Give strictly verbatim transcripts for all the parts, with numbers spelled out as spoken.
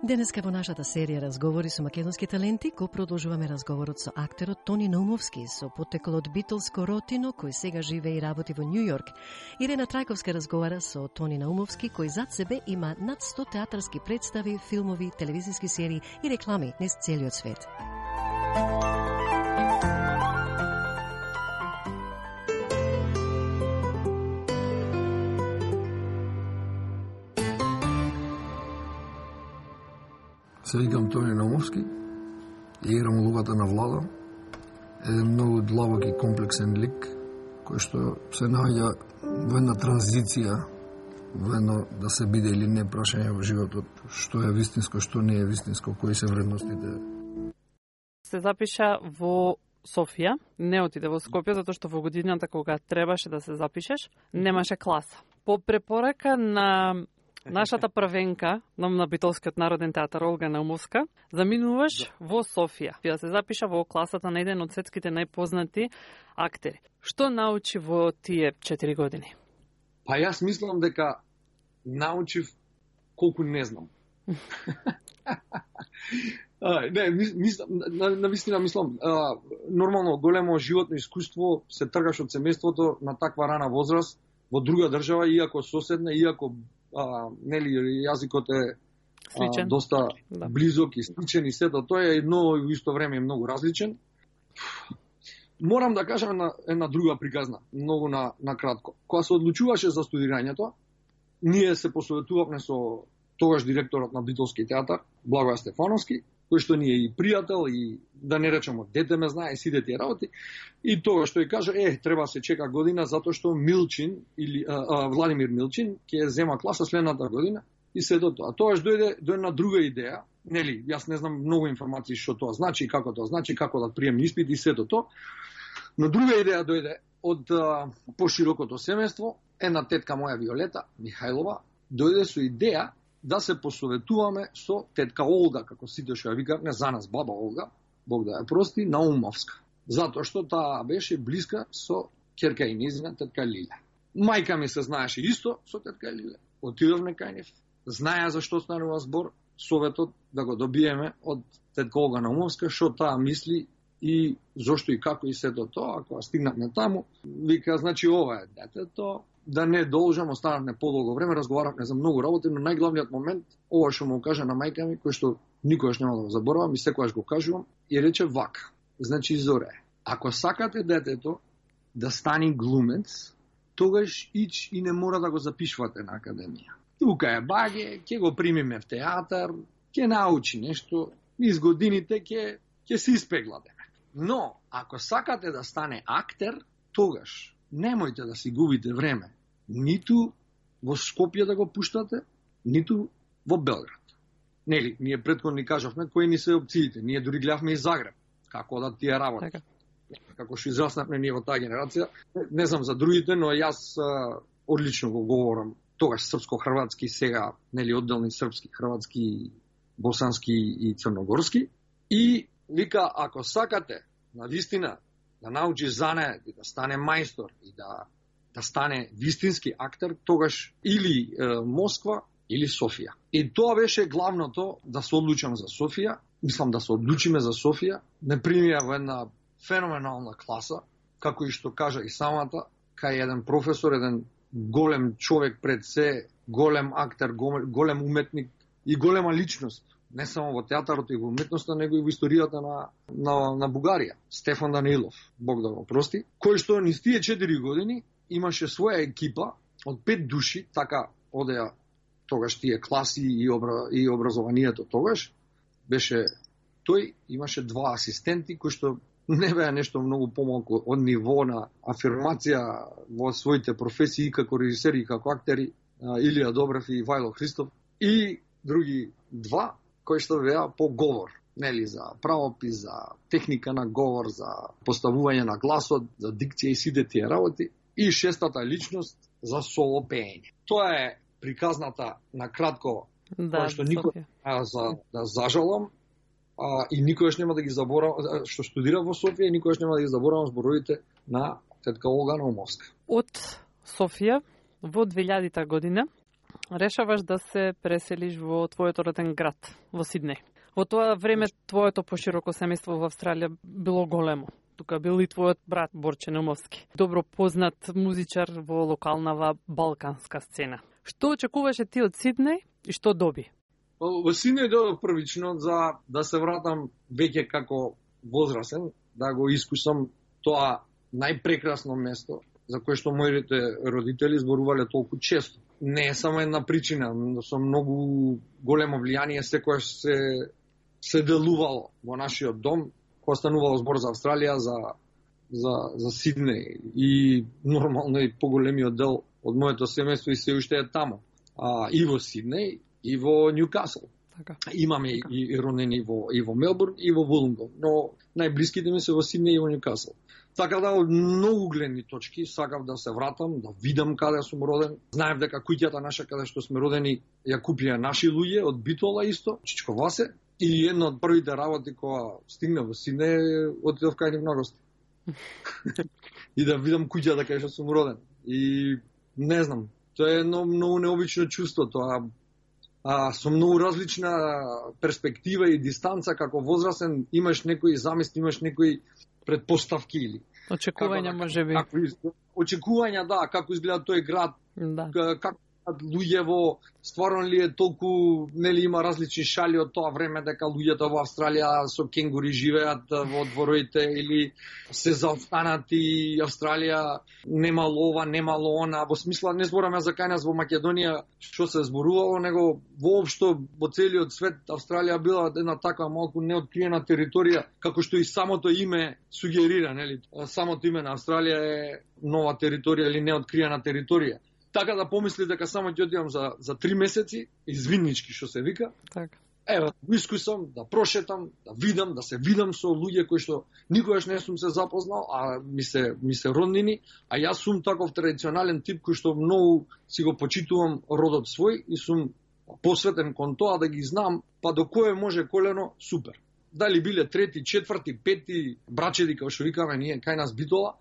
Денеска во нашата серија разговори со македонски таленти, го продолжуваме разговорот со актерот Тони Наумовски, со поттекол од битолско ротино, кој сега живее и работи во Њу Јорк. Ирена Трајковска разговара со Тони Наумовски, кој зад себе има над сто театарски представи, филмови, телевизиски серии и реклами низ целиот свет. Се викам Тони Наумовски, играм улогата на Влада, еден многу длабок и комплексен лик, кој што се наоѓа во една транзиција, во едно да се биде или не прашање во животот, што е вистинско, што не е вистинско, кои се вредностите. Се запиша во Софија, не отиде во Скопје, затоа што во годината кога требаше да се запишеш, немаше класа. По препорака на нашата првенка на Битолскиот народен театар Олга Наумовска, заминуваш во Софија. Ја се запиша во класата на еден од светските најпознати актери. Што научи во тие четири години? Па јас мислам дека научив колку не знам. а, не, мислам, на, на вистина мислам, а, нормално големо животно искуство се тргаш од семејството на таква рана возраст во друга држава, иако соседна, иако А, нели јазикот е а, доста да. близок и сличен и сето тоа е, но и во исто време е многу различен. Морам да кажам една, една друга приказна, многу на, на кратко. Кога се одлучуваше за студирањето, ние се посоветувавме со тогаш директорот на Битолски театар, Благоја Стефановски, кој што ни е и пријател, и да не речемо дете ме знае, сите тие работи, и тогаш тој каже, е, треба се чека година, затоа што Милчин, или а, а, Владимир Милчин, ќе зема класа следната година, и се до тоа. Тогаш дојде до една друга идеја, нели, јас не знам многу информации што тоа значи, како тоа значи, како да приемни испит и се до тоа, но друга идеја дојде од а, поширокото семејство, една тетка моја Виолета Михајлова, дојде со идеја да се посоветуваме со тетка Олга, како сите што ја викавме за нас баба Олга, Бог да ја прости, Наумовска. Затоа што таа беше блиска со ќерка и низина тетка Лиле. Мајка ми се знаеше исто со тетка Лиле. Отидовме кај нив, знаеа за што станува збор, советот да го добиеме од тетка Олга Наумовска, што таа мисли и зошто и како и сето тоа, ако стигнавме таму, вика, значи ова е детето, да не должам, останавме подолго време, разговаравме за многу работи, но најглавниот момент, ова што му кажа на мајка ми, кој што никогаш нема да го заборавам и секогаш го кажувам, и рече вака. Значи, Зоре, ако сакате детето да стане глумец, тогаш ич и не мора да го запишувате на академија. Тука е баге, ќе го примиме в театар, ќе научи нешто, низ годините ќе ќе се испегладеме. Но, ако сакате да стане актер, тогаш немојте да си губите време, ниту во Скопје да го пуштате, ниту во Белград. Нели, ние претходно ни кажавме кои ни се опциите, ние дури гледавме и Загреб, како да тие работи. Така. Како што израснавме ние во таа генерација, не знам за другите, но јас а, одлично го говорам, тогаш српско-хрватски, сега, нели, одделни српски, хрватски, босански и црногорски. И вика, ако сакате, на вистина, да научи занае, да стане мајстор и да, да стане вистински актер, тогаш или е, Москва, или Софија. И тоа беше главното, да се одлучам за Софија, мислам да се одлучиме за Софија, не примија во една феноменална класа, како и што кажа и самата, кај еден професор, еден голем човек пред се, голем актер, голем уметник и голема личност. Не само во театарот и во уметноста, него и во историјата на, на, на Бугарија. Стефан Данилов, Бог да го прости, кој што низ тие четири години имаше своја екипа од пет души, така одеа тогаш тие класи и, обра, и образованието тогаш, беше тој, имаше два асистенти, кои што не беа нешто многу помалку од ниво на афирмација во своите професии, како режисери и како актери, Илија Добрев и Вајло Христов, и други два, кои што беа по говор, нели, за правопис, за техника на говор, за поставување на гласот, за дикција и сите тие работи, и шестата личност за соло пеење. Тоа е приказната на кратко, да, која што никој за да зажалам, а, и никогаш нема да ги заборавам, што студира во Софија, и никогаш нема да ги заборавам зборовите на тетка Олга Наумовска. Од Софија во две илјадета година решаваш да се преселиш во твојот роден град, во Сиднеј. Во тоа време твоето пошироко семејство во Австралија било големо. Тука бил и твојот брат Борче Наумовски, добро познат музичар во локалнава балканска сцена. Што очекуваше ти од Сиднеј и што доби? Во Сиднеј додов првично за да се вратам веќе како возрасен, да го искусам тоа најпрекрасно место за кое што моите родители зборувале толку често. Не е само една причина, но со многу големо влијание секојаш се се делувало во нашиот дом, кога станувало збор за Австралија, за за за Сиднеј и нормално и поголемиот дел од моето семејство и се уште е таму. А, и во Сиднеј и во Нјукасл. Така. Имаме така. и, и роднини во и во Мелбурн и во Вулонгон, но најблиските ми се во Сиднеј и во Нјукасл. Така да, од многу гледни точки сакав да се вратам, да видам каде сум роден. Знаев дека куќата наша каде што сме родени ја купија наши луѓе од Битола исто, Чичко Васе. И една од првите работи кога стигнав во Сиднеј, отидов кај нив на гости. И да видам куќата каде што сум роден. И не знам, тоа е едно многу необично чувство, тоа а, со многу различна перспектива и дистанца, како возрасен имаш некои замисли, имаш некои предпоставки или очекувања можеби. Очекувања, да, како изгледа тој град, да. Како луѓево, стварно ли е толку, нели има различни шали од тоа време дека луѓето во Австралија со кенгури живеат во дворовите или се заостанати, Австралија немало ова, немало она, во смисла не збораме за кај нас во Македонија што се зборувало, него воопшто во целиот свет Австралија била една таква малку неоткриена територија, како што и самото име сугерира, нели? Самото име на Австралија е нова територија или неоткриена територија. Така да помисли дека само ќе одидам за, за три месеци, извиннички што се вика. Така. Ева, искусам да прошетам, да видам, да се видам со луѓе кои што никогаш не сум се запознал, а ми се, ми се роднини, а јас сум таков традиционален тип кој што многу си го почитувам родот свој и сум посветен кон тоа да ги знам, па до кое може колено, супер. Дали биле трети, четврти, пети брачеди, како што викаме ние кај нас Битола,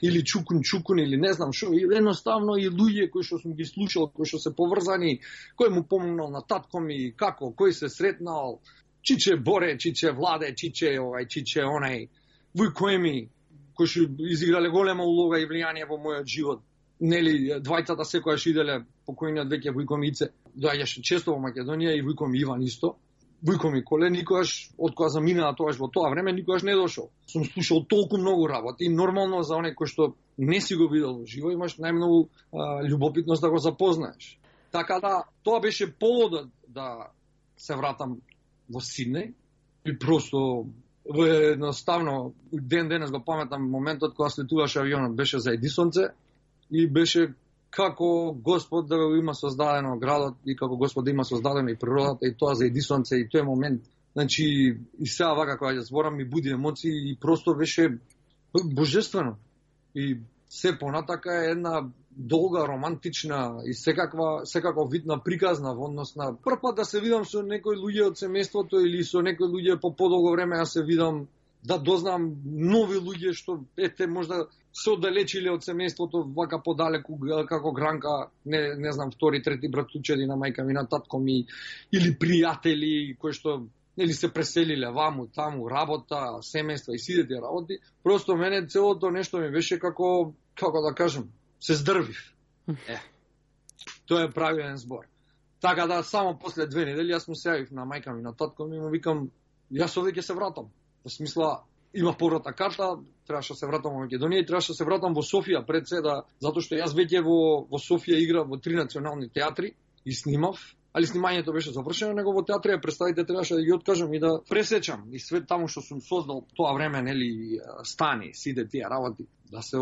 или чукун чукун или не знам што, едноставно и луѓе кои што сум ги слушал, кои што се поврзани, кој му помогнал на татко ми, како, кој се сретнал, Чиче Боре, Чиче Владе, Чиче овај, Чиче онај, Вујко ми, кои што изиграле голема улога и влијание во мојот живот. Нели, двајцата секојаш иделе, покојниот веќе Вујко Мице, доаѓаше често во Македонија и Вујко ми Иван исто. Вујко ми Коле никогаш, од кога заминаа тоаш во тоа време, никогаш не дошол. Сум слушал толку многу работи и нормално за оној кој што не си го видел живо, имаш најмногу а, љубопитност да го запознаеш. Така да, тоа беше поводот да се вратам во Сиднеј и просто едноставно ден денес го паметам моментот кога слетуваше авионот, беше за Едисонце и беше како Господ да го има создадено градот и како Господ да има создадено и природата и тоа за Едисонце и тој момент. Значи, и сега вака кога ја зборам ми буди емоции и просто беше божествено. И се понатака е една долга, романтична и секаква, секаква видна приказна во однос на прв пат да се видам со некои луѓе од семејството или со некои луѓе по подолго време да се видам, да дознам нови луѓе што ете можда се оддалечиле од семејството вака подалеку како Гранка, не не знам втори, трети братучеди на мајка ми, на татко ми или пријатели кои што нели се преселиле ваму, таму, работа, семејства и сите тие работи. Просто мене целото нешто ми беше како како да кажам, се здрвив. Е. Тоа е правилен збор. Така да само после две недели јас му се јавив на мајка ми, на татко ми, му викам јас овде ќе се вратам. Во смисла има повратна карта, требаше да се вратам во Македонија и требаше да се вратам во Софија пред се да, затоа што јас веќе во во Софија играв во три национални театри и снимав, али снимањето беше завршено, него во театрија представите требаше да ги откажам и да пресечам и све таму што сум создал тоа време, нели, стани, сите тие работи, да се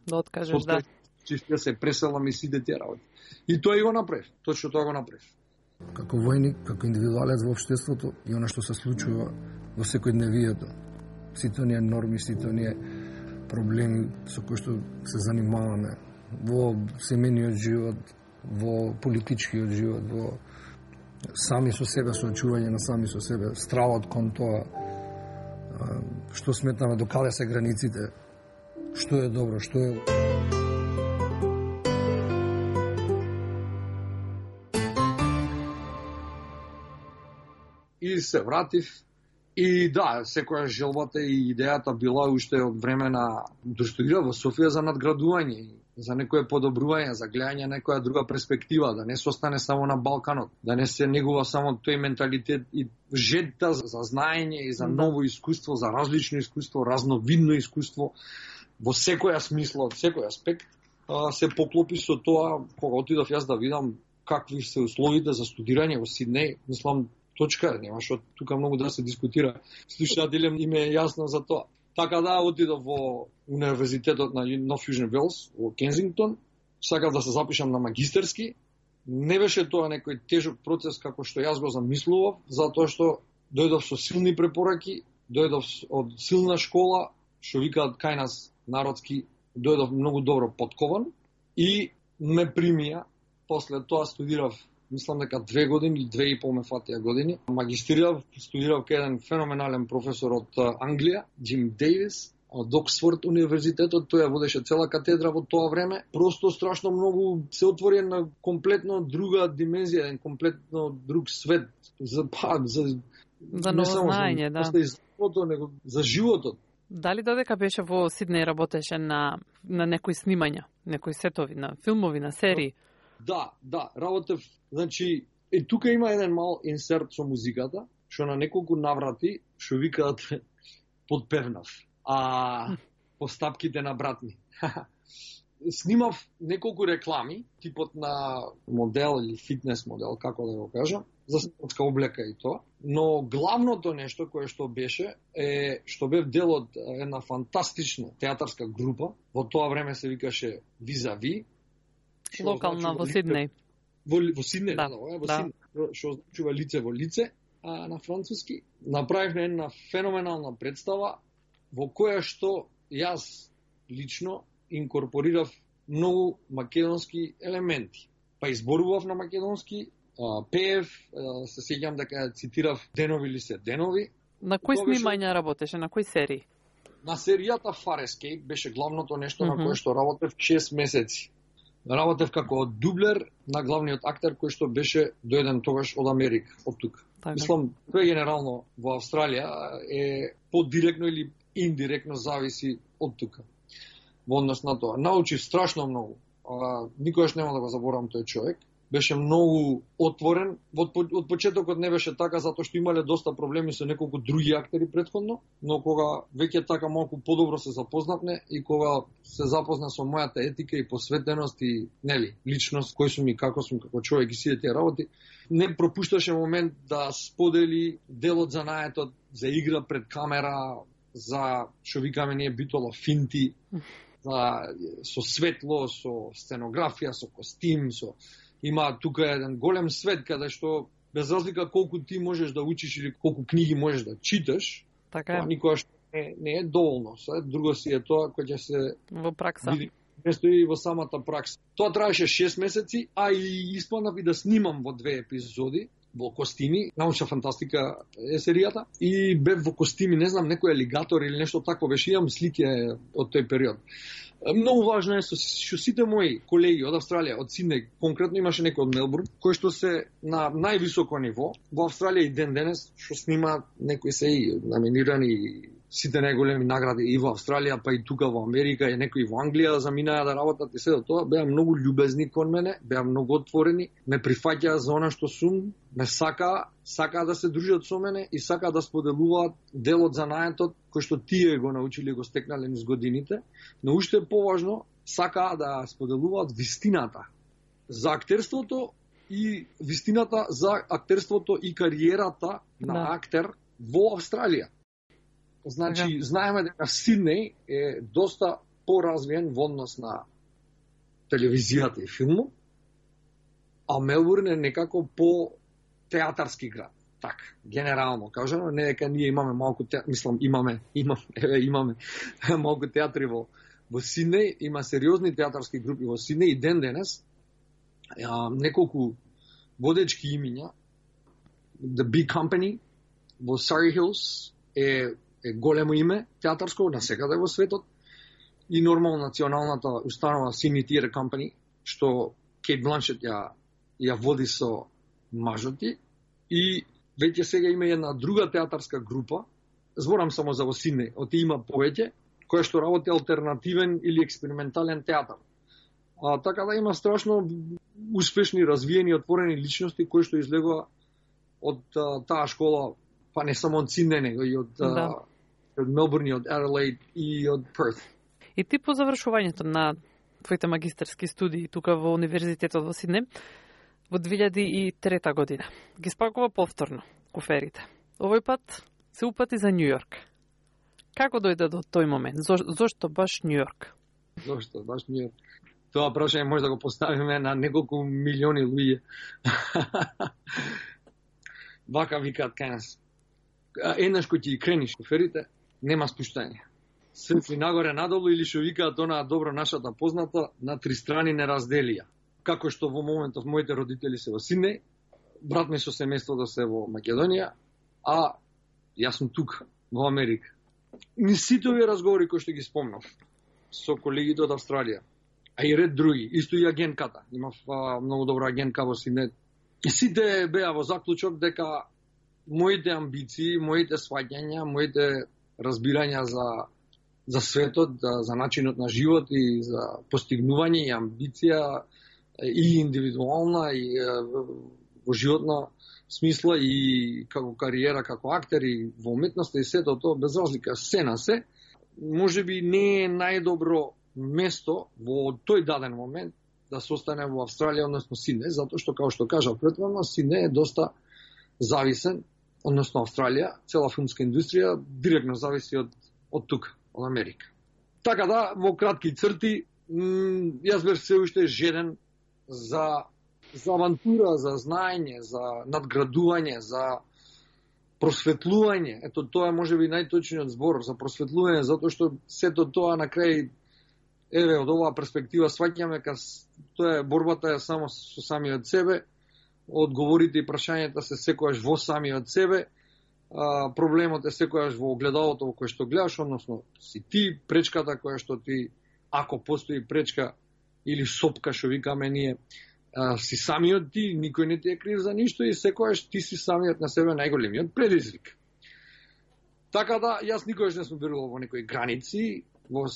да откажеш, да. Чисто да се преселам и сите тие работи. И тоа и го направив, точно тоа го направив. Како војник, како индивидуалец во општеството и она што се случува во секојдневието. Сите оние норми, сите оние проблеми со кои што се занимаваме во семејниот живот, во политичкиот живот, во сами со себе, соочување на сами со себе, стравот кон тоа, што сметаме, до каде се границите, што е добро, што е... и се вратив. И да, секоја желбата и идејата била уште од време на достудира во Софија за надградување, за некое подобрување, за гледање некоја друга перспектива, да не се остане само на Балканот, да не се негува само тој менталитет и жедта за знаење и за ново искуство, за различно искуство, разновидно искуство, во секоја смисла, од секој аспект, се поклопи со тоа кога отидов јас да видам какви се условите за студирање во Сиднеј. Мислам, точка, нема што тука многу да се дискутира. Слушателям им е јасно за тоа. Така да, отидов во Универзитетот на Нов Јужен Велс во Кензингтон, сакав да се запишам на магистерски. Не беше тоа некој тежок процес како што јас го замислував, затоа што дојдов со силни препораки, дојдов од силна школа, што викаат кај нас народски, дојдов многу добро подкован и ме примија. После тоа студирав, мислам дека две години или две и пол ме фатија години. Магистрирав, студирав кај еден феноменален професор од Англија, Джим Дейвис, од Оксфорд универзитетот. Тој ја водеше цела катедра во тоа време. Просто страшно многу се отвори на комплетно друга димензија, еден комплетно друг свет за па за за ново знаење, да. За животот, него за животот. Дали додека беше во Сиднеј работеше на на некои снимања, некои сетови на филмови, на серии? Да, да, работев, значи, и тука има еден мал инсерт со музиката, што на неколку наврати, што викаат подпевнав, а постапките на брат ми. Снимав неколку реклами, типот на модел или фитнес модел, како да го кажам, за спортска облека и тоа, но главното нешто кое што беше е што бев дел од една фантастична театарска група, во тоа време се викаше Визави, локална во Сиднеј. Во, во Сиднеј, да, да, во да. Сиднеј, што означува лице во лице, а, на француски. Направивме една феноменална представа во која што јас лично инкорпорирав многу македонски елементи. Па изборував на македонски, а, пеев, а, се сеќам дека цитирав Денови ли се денови. На кои снимања беше... работеше, на кои серии? На серијата Farescape беше главното нешто mm -hmm. на кое што работев шест месеци. Работев како дублер на главниот актер кој што беше дојден тогаш од Америка, од тука. Так, Мислам, тој генерално во Австралија е подиректно или индиректно зависи од тука. Во однос на тоа. Научив страшно многу. А, никогаш нема да го заборавам тој човек. Беше многу отворен. Од, од почетокот не беше така, затоа што имале доста проблеми со неколку други актери претходно, но кога веќе така малку подобро се запознавме и кога се запозна со мојата етика и посветеност и, нели, личност, кој сум и како сум како човек и сите тие работи, не пропушташе момент да сподели делот за наетот, за игра пред камера, за, што викаме ние битола, финти, за, со светло, со сценографија, со костим, со... Има тука еден голем свет каде што без разлика колку ти можеш да учиш или колку книги можеш да читаш, така е. Никогаш не, не е доволно. Се, друго си е тоа кој ќе се во пракса. Види, не стои во самата пракса. Тоа траеше шест месеци, а и испланав и да снимам во две епизоди во костими, научна фантастика е серијата, и бев во костими, не знам, некој алигатор или нешто такво беше, имам слики од тој период. Многу важно е што сите мои колеги од Австралија, од Сиднеј, конкретно имаше некој од Мелбурн, кои што се на највисоко ниво, во Австралија и ден денес, што снима некои се и номинирани сите најголеми награди и во Австралија, па и тука во Америка, и некои во Англија заминаа да работат и се до тоа, беа многу љубезни кон мене, беа многу отворени, ме прифаќаа за она што сум, ме сакаа, сакаа да се дружат со мене и сакаа да споделуваат делот за наетот кој што тие го научили и го стекнале низ годините, но уште поважно, сакаа да споделуваат вистината за актерството и вистината за актерството и кариерата на да. актер во Австралија. Значи, знаеме дека Сиднеј е доста поразвиен во однос на телевизијата и филмот, а Мелбурн е некако по театарски град. Така, генерално кажано, не дека ние имаме малку театри, мислам, имаме, имаме, еве, имаме малку театри во, во Сиднеј, има сериозни театарски групи во Сиднеј и ден денес, а, неколку водечки имиња, The Big Company во Surrey Hills е е големо име театарско на секаде во светот и нормално националната установа Sydney Theatre Company, што Кейт Бланшет ја, ја води со мажот ти, и веќе сега има една друга театарска група, зборам само за во Сиднеј, оти има повеќе, која што работи алтернативен или експериментален театар. А, така да има страшно успешни, развиени, отворени личности кои што излегува од а, таа школа, па не само од Сиднеј, него и од, да. а, од Мелбурн, од Аделаид и од Перт. И ти по завршувањето на твоите магистерски студии тука во Универзитетот во Сиднеј, во две илјади и трета година, ги спакува повторно куферите. Овој пат се упати за Њујорк. Како дојде до тој момент? Зо, зошто баш Њујорк? Зошто баш Њујорк? Тоа прашање може да го поставиме на неколку милиони луѓе. Вака викаат кај нас. Еднаш кој ти крениш куферите, нема спуштање. Срци нагоре надолу или што викаат она добро нашата позната на три страни не разделија. Како што во моментов моите родители се во Сиднеј, брат ми со семејството се во Македонија, а јас сум тука во Америка. Ни сите овие разговори кои што ги спомнав со колегите од Австралија, а и ред други, исто и агентката. Имав а, многу добра агентка во Сиднеј. И сите беа во заклучок дека моите амбиции, моите сваќања, моите разбирања за за светот, за, за начинот на живот и за постигнување и амбиција и индивидуална и во животна смисла и како кариера, како актер и во уметноста и сето тоа без разлика се на се, може би не е најдобро место во тој даден момент да се остане во Австралија, односно Сиднеј, затоа што, како што кажав претходно, Сиднеј е доста зависен, односно Австралија, цела филмска индустрија директно зависи од, од тука, од Америка. Така да, во кратки црти, јас бев се уште жеден за, за авантура, за знаење, за надградување, за просветлување. Ето тоа е можеби најточниот збор за просветлување, затоа што сето тоа на крај, еве, од оваа перспектива сваќаме ка тоа е борбата е само со самиот себе, одговорите и прашањата се секојаш во самиот себе, а, проблемот е секојаш во огледалото во кое што гледаш, односно си ти, пречката која што ти, ако постои пречка или сопка што викаме ние, а, си самиот ти, никој не ти е крив за ништо и секојаш ти си самиот на себе најголемиот предизвик. Така да, јас никогаш не сум верувал во некои граници, во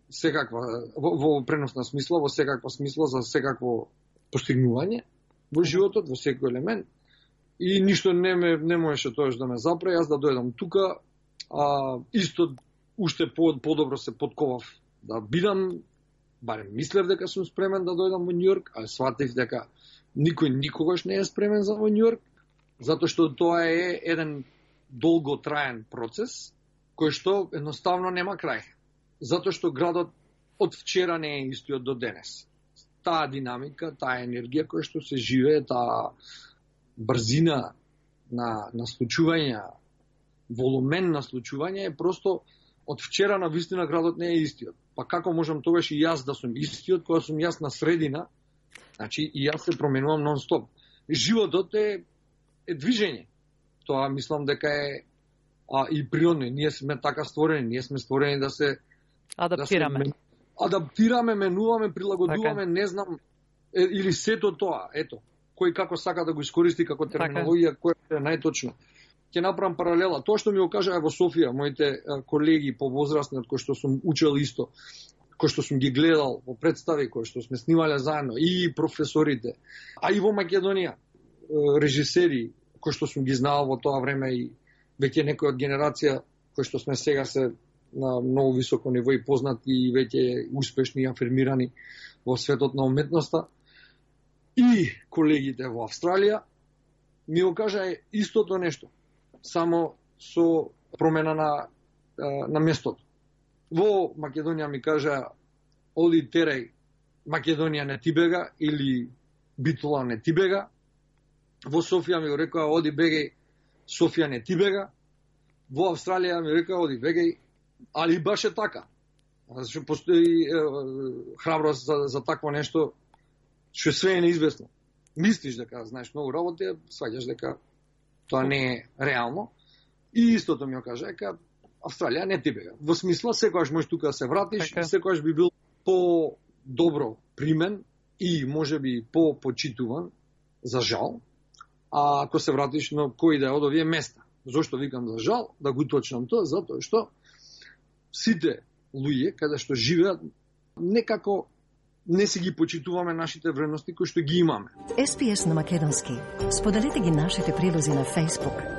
секаква, во, во преносна смисла, во секаква смисла за секакво постигнување во животот, во секој елемент. И ништо не ме не можеше тоаш да ме запре, јас да дојдам тука, а исто уште по, подобро се подковав да бидам, барем мислев дека сум спремен да дојдам во Њујорк, а сватив дека никој никогаш не е спремен за во Њујорк, затоа што тоа е еден долготраен процес кој што едноставно нема крај. Затоа што градот од вчера не е истиот до денес. Таа динамика, таа енергија која што се живее, таа брзина на, на случување, волумен на случување е просто од вчера на вистина градот не е истиот. Па како можам тогаш и јас да сум истиот, кога сум јас на средина, значи и јас се променувам нон-стоп. Животот е, е движење. Тоа мислам дека е а, и природно. Ние сме така створени, ние сме створени да се адаптираме. Да се, адаптираме, менуваме, прилагодуваме, така. Не знам, е, или сето тоа, ето, кој како сака да го искористи како терминологија, која е најточно. Ќе направам паралела. Тоа што ми го кажаа во Софија, моите колеги повозрастни, од кои што сум учел исто, кои што сум ги гледал во представи, кои што сме снимале заедно, и професорите, а и во Македонија, режисери, кои што сум ги знал во тоа време и веќе некој од генерација, кои што сме сега се на многу високо ниво и познати и веќе успешни и афирмирани во светот на уметноста, и колегите во Австралија, ми го кажа истото нешто, само со промена на, на местото. Во Македонија ми кажа, оди терај, Македонија не ти бега, или Битола не ти бега. Во Софија ми го рекоа, оди бегај, Софија не ти бега. Во Австралија ми рекоа, оди бегај, али баш е така. Зашто постои е, храброст за, за такво нешто, што све е неизвестно. Мислиш дека знаеш многу работи, сваѓаш дека тоа не е реално. И истото ми го кажа, дека Австралија не ти бега. Во смисла, секојаш можеш тука да се вратиш, okay. Секојаш би бил по-добро примен и можеби по-почитуван, за жал, А ако се вратиш на кој да е од овие места. Зошто викам за жал? Да го уточнам тоа, затоа што сите луѓе каде што живеат некако не си ги почитуваме нашите вредности кои што ги имаме. Ес Пи Ес на македонски. Споделете ги нашите прилози на Facebook,